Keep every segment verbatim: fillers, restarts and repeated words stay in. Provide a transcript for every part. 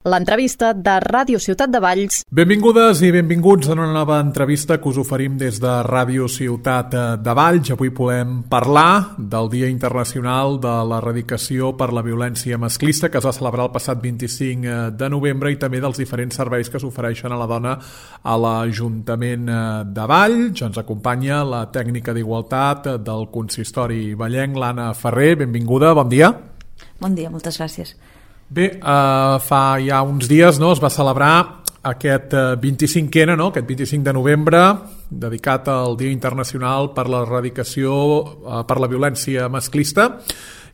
L'entrevista de Ràdio Ciutat de Valls. Benvingudes i benvinguts a una nova entrevista que us oferim des de Ràdio Ciutat de Valls. Avui podem parlar del Dia Internacional de l'Erradicació per la Violència Masclista, que es va celebrar el passat vint-i-cinc de novembre, i també dels diferents serveis que s'ofereixen a la dona a l'Ajuntament de Valls. Ens acompanya la tècnica d'Igualtat del Consistori Vallenc, l'Anna Ferrer. Benvinguda, bon dia. Bon dia, moltes gràcies. Bé, eh, fa ja uns dies no, es va celebrar aquest vint-i-cinquè, no, aquest vint-i-cinc de novembre, dedicat al Dia Internacional per l'Erradicació eh, per la Violència Masclista.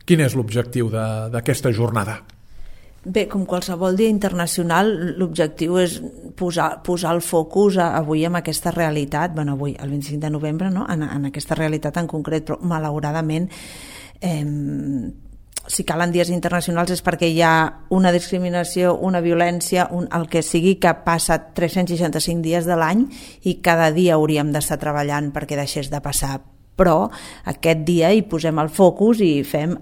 Quin és l'objectiu d'aquesta jornada? Bé, com qualsevol dia internacional, l'objectiu és posar, posar el focus avui en aquesta realitat, bueno, avui, el vint-i-cinc de novembre, no? en, en aquesta realitat en concret, però malauradament eh, si calen dies internacionals és perquè hi ha una discriminació, una violència, un, el que sigui, que passa tres-cents seixanta-cinc dies de l'any i cada dia hauríem d'estar treballant perquè deixés de passar. Però aquest dia hi posem el focus i fem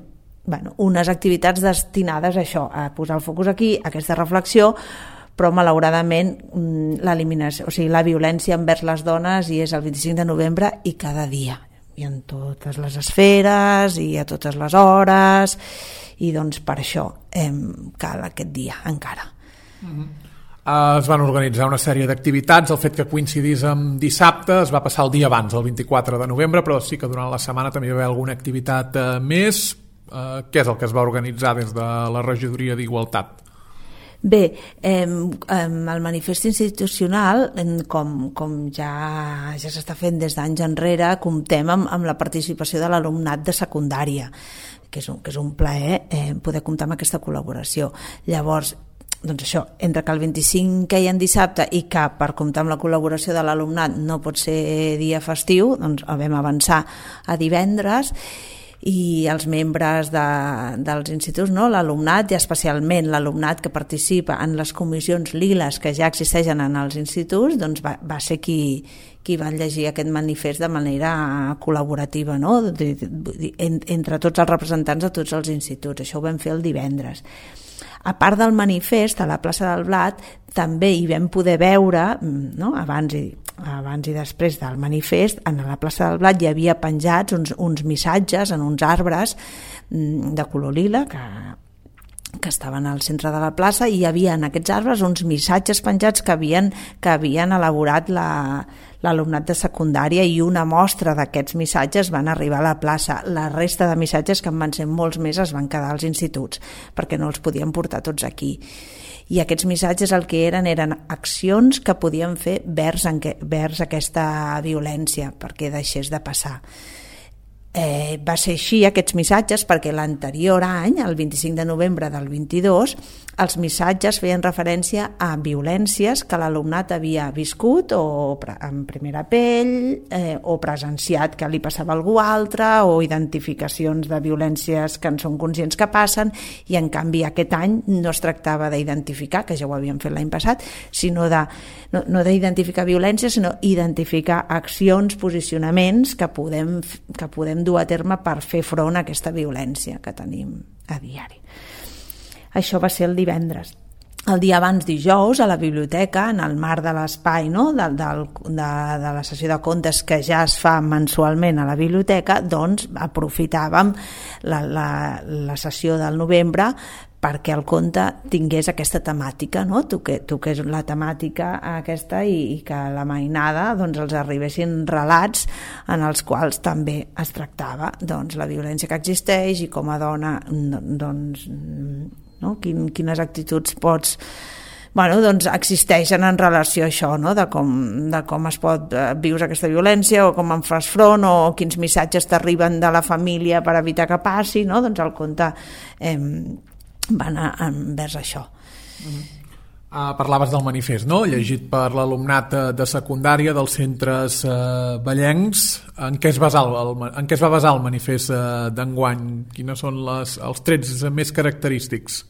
bueno, unes activitats destinades a això, a posar el focus aquí, a aquesta reflexió, però malauradament l'eliminació, o sigui, la violència envers les dones i és el vint-i-cinc de novembre i cada dia, i en totes les esferes i a totes les hores, i doncs per això eh, cal aquest dia encara. Mm-hmm. Uh, es van organitzar una sèrie d'activitats. El fet que coincidís amb dissabte es va passar el dia abans, el vint-i-quatre de novembre, però sí que durant la setmana també hi va haver alguna activitat uh, més. Uh, què és el que es va organitzar des de la Regidoria d'Igualtat? Bé, eh, eh, el manifest institucional, com, com ja, ja s'està fent des d'anys enrere, comptem amb, amb la participació de l'alumnat de secundària, que és un, que és un plaer eh, poder comptar amb aquesta col·laboració. Llavors, doncs això, entre que el vint-i-cinc queia en dissabte i que per comptar amb la col·laboració de l'alumnat no pot ser dia festiu, doncs el vam avançar a divendres, i els membres de, dels instituts, no? L'alumnat i especialment l'alumnat que participa en les comissions liles que ja existeixen en els instituts, doncs va, va ser qui, qui va llegir aquest manifest de manera col·laborativa, no? Entre tots els representants de tots els instituts. Això ho vam fer el divendres. A part del manifest, a la plaça del Blat també hi vam poder veure, no? abans, i, abans i després del manifest, a la plaça del Blat hi havia penjats uns, uns missatges en uns arbres de color lila que, que estaven al centre de la plaça, i hi havia en aquests arbres uns missatges penjats que havien, que havien elaborat la, l'alumnat de secundària, i una mostra d'aquests missatges van arribar a la plaça. La resta de missatges, que en van ser molts més, es van quedar als instituts perquè no els podien portar tots aquí. I aquests missatges el que eren eren accions que podien fer vers, en que, vers aquesta violència perquè deixés de passar. Eh, va ser així aquests missatges perquè l'anterior any, el vint-i-cinc de novembre del vint-i-dos, els missatges feien referència a violències que l'alumnat havia viscut o en primera pell eh, o presenciat que li passava a algú altre, o identificacions de violències que en són conscients que passen, i en canvi aquest any no es tractava d'identificar, que ja ho havíem fet l'any passat, sinó de, no, no d'identificar violències, sinó identificar accions, posicionaments que podem, que podem dur a terme per fer front a aquesta violència que tenim a diari. Això va ser el divendres. El dia abans, dijous, a la biblioteca, en el marc de l'espai, no? de, de, de, de la sessió de contes que ja es fa mensualment a la biblioteca, doncs aprofitàvem la, la, la sessió del novembre perquè el conte tingués aquesta temàtica, no? Tu que, tu que és la temàtica aquesta, i, i que a la mainada doncs, els arribessin relats en els quals també es tractava doncs, la violència que existeix i com a dona doncs, no? Quin, quines actituds pots bueno, doncs existeixen en relació a això, no? de, com, de com es pot viure aquesta violència, o com en fas front, o quins missatges t'arriben de la família per evitar que passi, no? Doncs el conte eh, va anar envers això. Mm-hmm. Uh, parlaves del manifest, no? Llegit per l'alumnat de secundària dels centres uh, vallencs. En què es basa el, en què es va basar el manifest uh, d'enguany? Quines són les, els trets més característics?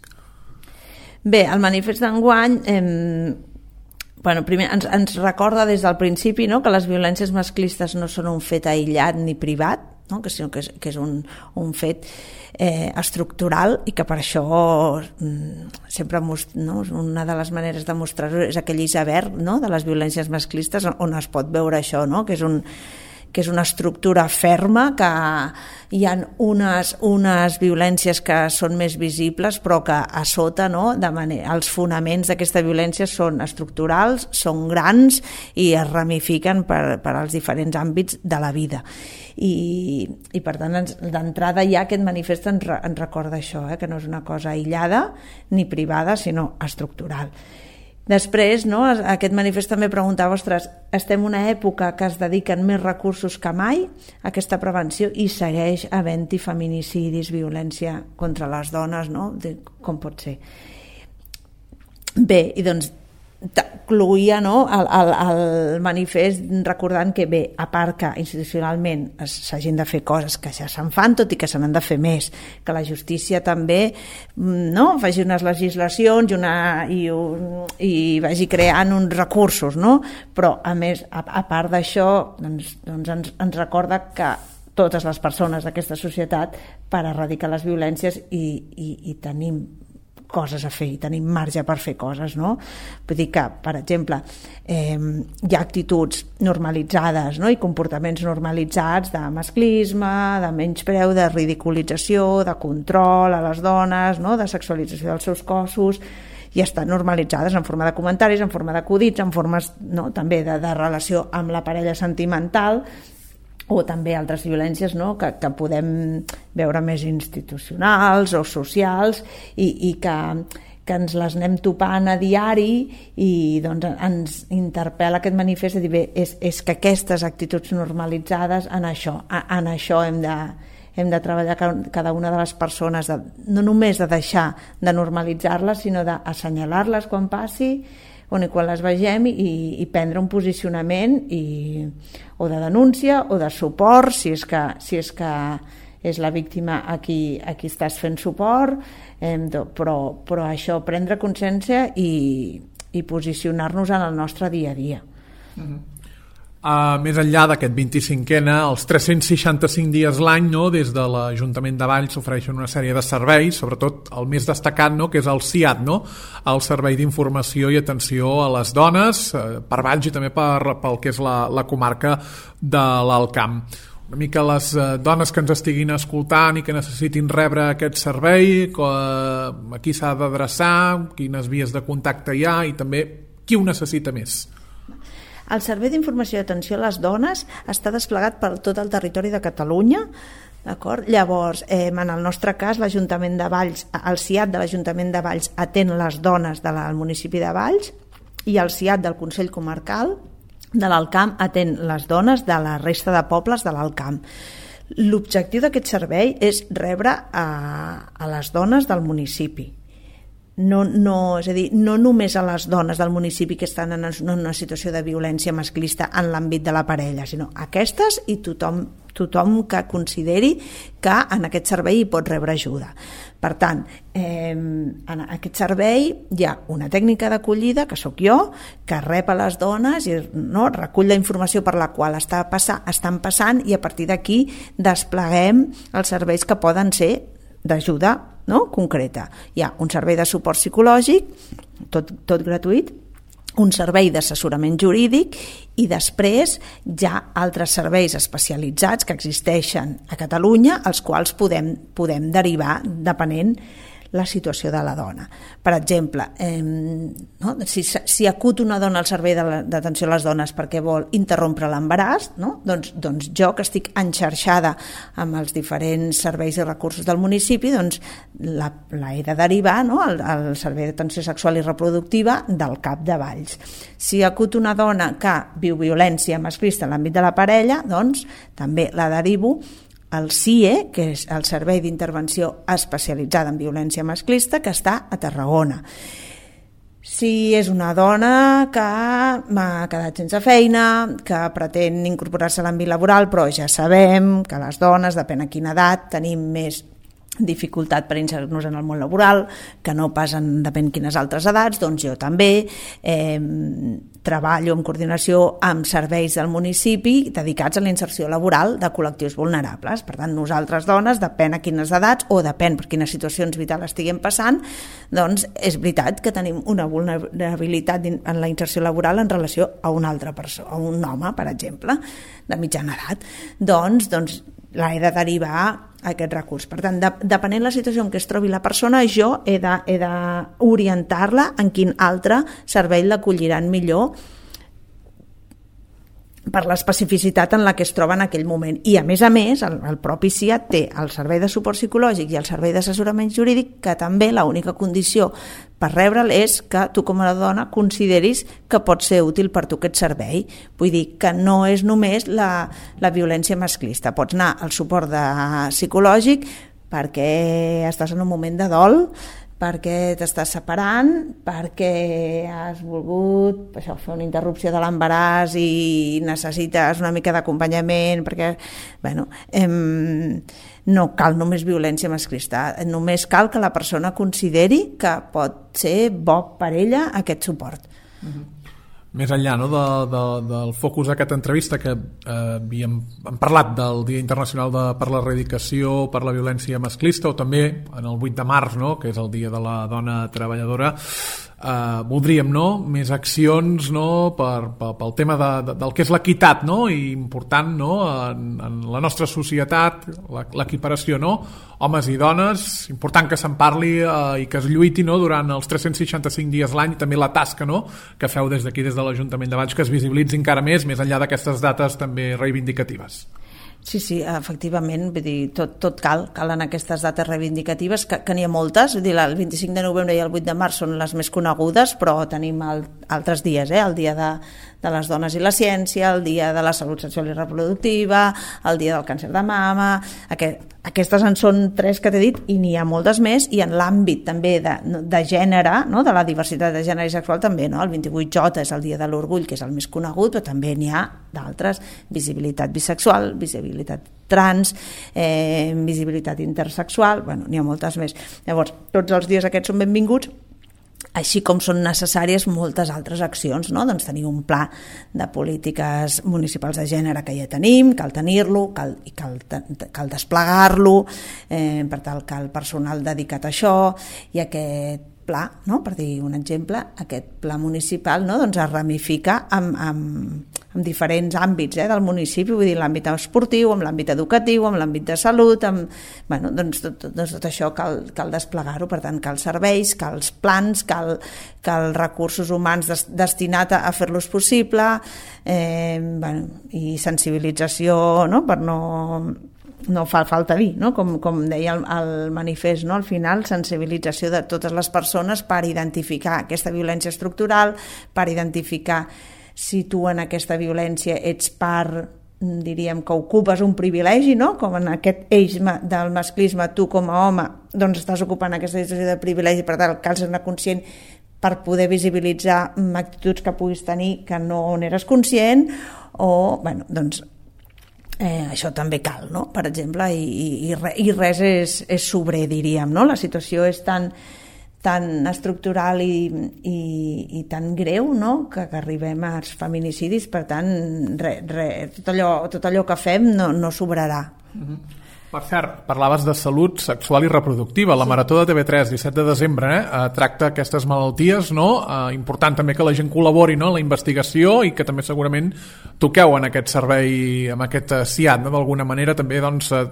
Bé, el manifest d'enguany eh, bueno, primer ens, ens recorda des del principi, no?, que les violències masclistes no són un fet aïllat ni privat, no? que, sinó que és, que és un, un fet eh, estructural i que per això mm, sempre most, no? una de les maneres de mostrar-ho és aquell iceberg, no? de les violències masclistes on es pot veure això, no? que és un que és una estructura ferma, que hi ha unes, unes violències que són més visibles, però que a sota, no, de manera, els fonaments d'aquesta violència són estructurals, són grans i es ramifiquen per, per als diferents àmbits de la vida. I, i per tant, d'entrada ja aquest manifest ens, ens recorda això, eh, que no és una cosa aïllada ni privada, sinó estructural. Després, no, aquest manifest també preguntava, ostres, estem en una època que es dediquen més recursos que mai a aquesta prevenció i segueix havent-hi feminicidis, violència contra les dones, no? Com pot ser? Bé, i doncs concloïa, no, el, el, el manifest recordant que bé, a part que institucionalment s'hagin de fer coses que ja se'n fan, tot i que se n'han de fer més, que la justícia també, no, faci unes legislacions i, una, i, un, i vagi creant uns recursos, no? Però a més, a, a part d'això, doncs, doncs ens, ens recorda que totes les persones d'aquesta societat per erradicar les violències i, i, i tenim coses a fer i tenim marge per fer coses, no? Vull dir que, per exemple, eh, hi ha actituds normalitzades, no? I comportaments normalitzats de masclisme, de menyspreu, de ridiculització, de control a les dones, no? De sexualització dels seus cossos, i estan normalitzades en forma de comentaris, en forma d'acudits, en formes, no? També de, de relació amb la parella sentimental, o també altres violències, no? que, que podem veure més institucionals o socials i, i que, que ens les anem topant a diari i doncs, ens interpel·la aquest manifest de dir, bé, és, és que aquestes actituds normalitzades en això, en això hem de, hem de treballar cada una de les persones, de, no només de deixar de normalitzar-les, sinó d'assenyalar-les quan passi, on quan les vegem i, i prendre un posicionament i, o de denúncia o de suport si és que, si és, que és la víctima a qui, a qui estàs fent suport, eh, però, però això, prendre consciència i, i posicionar-nos en el nostre dia a dia. Mm-hmm. Uh, més enllà d'aquest vint-i-cinquena, els tres-cents seixanta-cinc dies l'any, no, des de l'Ajuntament de Valls s'ofereixen una sèrie de serveis, sobretot el més destacat, no, que és el C I A T, no, el Servei d'Informació i Atenció a les Dones, eh, per Valls i també per, pel que és la, la comarca de l'Alt Camp. Una mica les eh, dones que ens estiguin escoltant i que necessitin rebre aquest servei, que, a qui s'ha d'adreçar, quines vies de contacte hi ha i també qui ho necessita més. El Servei d'Informació i Atenció a les Dones està desplegat per tot el territori de Catalunya, d'acord? Llavors, eh, en el nostre cas, l'Ajuntament de Valls, el C I A T de l'Ajuntament de Valls atén les dones del municipi de Valls i el C I A T del Consell Comarcal de l'Alt Camp atén les dones de la resta de pobles de l'Alt Camp. L'objectiu d'aquest servei és rebre a, a les dones del municipi. No, no, és a dir, no només a les dones del municipi que estan en una situació de violència masclista en l'àmbit de la parella, sinó aquestes i tothom, tothom que consideri que en aquest servei hi pot rebre ajuda. Per tant, eh, en aquest servei hi ha una tècnica d'acollida, que sóc jo, que rep a les dones i, no, recull la informació per la qual està passar, estan passant i a partir d'aquí despleguem els serveis que poden ser d'ajuda, no, concreta. Hi ha un servei de suport psicològic, tot, tot gratuït, un servei d'assessorament jurídic i després hi ha altres serveis especialitzats que existeixen a Catalunya als quals podem, podem derivar depenent la situació de la dona. Per exemple, eh, no? si, si acut una dona al servei d'atenció a les dones perquè vol interrompre l'embaràs, no? doncs, doncs jo que estic enxarxada amb els diferents serveis i recursos del municipi, doncs la, la he de derivar, no? al, al Servei d'Atenció Sexual i Reproductiva del C A P de Valls. Si acut una dona que viu violència masclista en l'àmbit de la parella, doncs també la derivo el C I E, que és el Servei d'Intervenció Especialitzada en Violència Masclista, que està a Tarragona. Si és una dona que m'ha quedat sense feina, que pretén incorporar-se a l'àmbit laboral, però ja sabem que les dones, depèn a quina edat, tenim més dificultat per inserir-nos en el món laboral, que no passen depèn quines altres edats, doncs jo també eh, treballo en coordinació amb serveis del municipi dedicats a la inserció laboral de col·lectius vulnerables. Per tant, nosaltres dones, depèn a quines edats o depèn per quines situacions vitals estiguem passant, doncs és veritat que tenim una vulnerabilitat en la inserció laboral en relació a una altra persona, a un home, per exemple, de mitjana edat. Doncs, doncs l'he de derivar a aquest recurs. Per tant, de, depenent la situació en què es trobi la persona, jo he de, he d'orientar-la en quin altre servei l'acolliran millor per l'especificitat en la que es troba en aquell moment. I a més a més, el, el propi C I A T té el servei de suport psicològic i el servei d'assessorament jurídic, que també l'única condició per rebre'l és que tu com a dona consideris que pot ser útil per tu aquest servei. Vull dir que no és només la, la violència masclista. Pots anar al suport de, psicològic perquè estàs en un moment de dol, perquè t'estàs separant, perquè has volgut això, fer una interrupció de l'embaràs i necessites una mica d'acompanyament, perquè bueno, em, no cal només violència masclista, només cal que la persona consideri que pot ser bo per ella aquest suport. Mm-hmm. Més enllà, no, de, de, del focus d'aquesta entrevista, que eh, havíem hem parlat del Dia Internacional de, per l'Erradicació per la Violència Masclista, o també en el vuit de març, no, que és el Dia de la Dona Treballadora, eh, voldríem, no, més accions, no, per, per, pel tema de, de, del que és l'equitat, no, i important, no, en, en la nostra societat, l'equiparació, no, homes i dones, important que se'n parli eh, i que es lluiti, no, durant els tres-cents seixanta-cinc dies l'any, també la tasca, no, que feu des d'aquí, des de l'Ajuntament de Valls, que es visibilitzi encara més, més enllà d'aquestes dates també reivindicatives. Sí, sí, efectivament, vull dir, tot, tot cal, calen aquestes dates reivindicatives, que, que n'hi ha moltes, vull dir, el vint-i-cinc de novembre i el vuit de març són les més conegudes, però tenim el, altres dies, eh? El dia de, de les dones i la ciència, el dia de la salut sexual i reproductiva, el dia del càncer de mama, aquest, aquestes en són tres que t'he dit i n'hi ha moltes més, i en l'àmbit també de, de gènere, no? De la diversitat de gènere i sexual també, no? El vint-i-vuit J és el dia de l'orgull, que és el més conegut, però també n'hi ha d'altres, visibilitat bisexual, visibilitat trans, eh, visibilitat intersexual, bueno, n'hi ha moltes més. Llavors, tots els dies aquests són benvinguts, així com són necessàries moltes altres accions, no? Doncs tenir un pla de polítiques municipals de gènere que ja tenim, cal tenir-lo, cal, i cal, cal desplegar-lo, eh, per tal que el personal dedicat a això, i aquest pla, no? Per dir un exemple, aquest pla municipal, no? Doncs es ramifica amb, amb, amb diferents àmbits, eh, del municipi, vull dir, l'àmbit esportiu, amb l'àmbit educatiu, amb l'àmbit de salut, amb, bueno, doncs tot, tot, doncs tot això cal, cal desplegar-ho, per tant cal serveis, cal plans, cal, cal recursos humans des, destinats a, a fer-los possible, eh, bueno, i sensibilització, no? Per no... no fa falta dir, no? com, com deia el, el manifest, no? Al final sensibilització de totes les persones per identificar aquesta violència estructural, per identificar si tu en aquesta violència ets part, diríem que ocupes un privilegi, no? Com en aquest eix del masclisme, tu com a home doncs estàs ocupant aquesta situació de privilegi, per tant cal ser conscient per poder visibilitzar actituds que puguis tenir que no n'eres conscient, o bueno, doncs Eh, això també cal, no? Per exemple, i, i, i res és, és sobrer, diríem, no? La situació és tan, tan estructural i, i, i tan greu, no? que, que arribem als feminicidis, per tant re, re, tot, allò, tot allò que fem no, no sobrarà. Mm-hmm. Per cert, parlaves de salut sexual i reproductiva. La Marató de T V tres, disset de desembre, eh, tracta aquestes malalties, no? Eh, important també que la gent col·labori, no?, en la investigació, i que també segurament toqueu en aquest servei, amb aquest C I A T, no? D'alguna manera també, doncs, eh,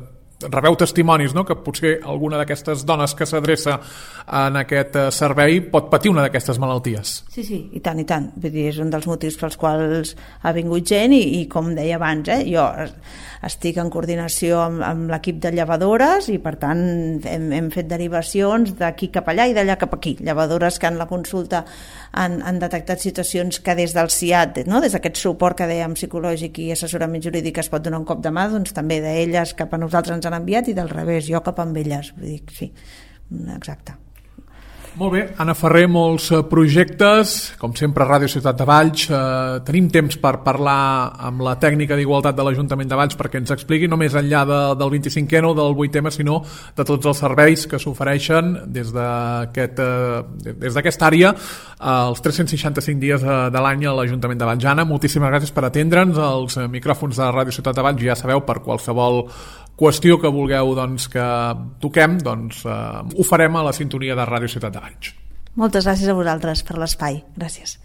rebeu testimonis, no?, que potser alguna d'aquestes dones que s'adreça en aquest servei pot patir una d'aquestes malalties. Sí, sí, i tant, i tant. Vull dir, és un dels motius pels quals ha vingut gent, i, i com deia abans, eh, jo estic en coordinació amb, amb l'equip de llevadores, i per tant hem, hem fet derivacions d'aquí cap allà i d'allà cap aquí. Llevadores que en la consulta han, han detectat situacions que des del C I A T, no?, des d'aquest suport que dèiem psicològic i assessorament jurídic es pot donar un cop de mà, doncs també d'elles cap a nosaltres ens han enviat, i del revés, jo cap amb elles. Vull dir, sí, exacte. Molt bé, Anna Ferrer, molts projectes, com sempre a Ràdio Ciutat de Valls. Eh, tenim temps per parlar amb la tècnica d'Igualtat de l'Ajuntament de Valls perquè ens expliqui no més enllà de, del vint-i-cinquè o del vuitè, sinó de tots els serveis que s'ofereixen des d'aquest, eh, des d'aquesta àrea els tres cents seixanta-cinc dies de l'any a l'Ajuntament de Valls. Anna, moltíssimes gràcies per atendre'ns. Els micròfons de Ràdio Ciutat de Valls, ja sabeu, per qualsevol qüestió que vulgueu doncs, que toquem, doncs, eh, ho farem a la sintonia de Ràdio Ciutat de Valls. Moltes gràcies a vosaltres per l'espai. Gràcies.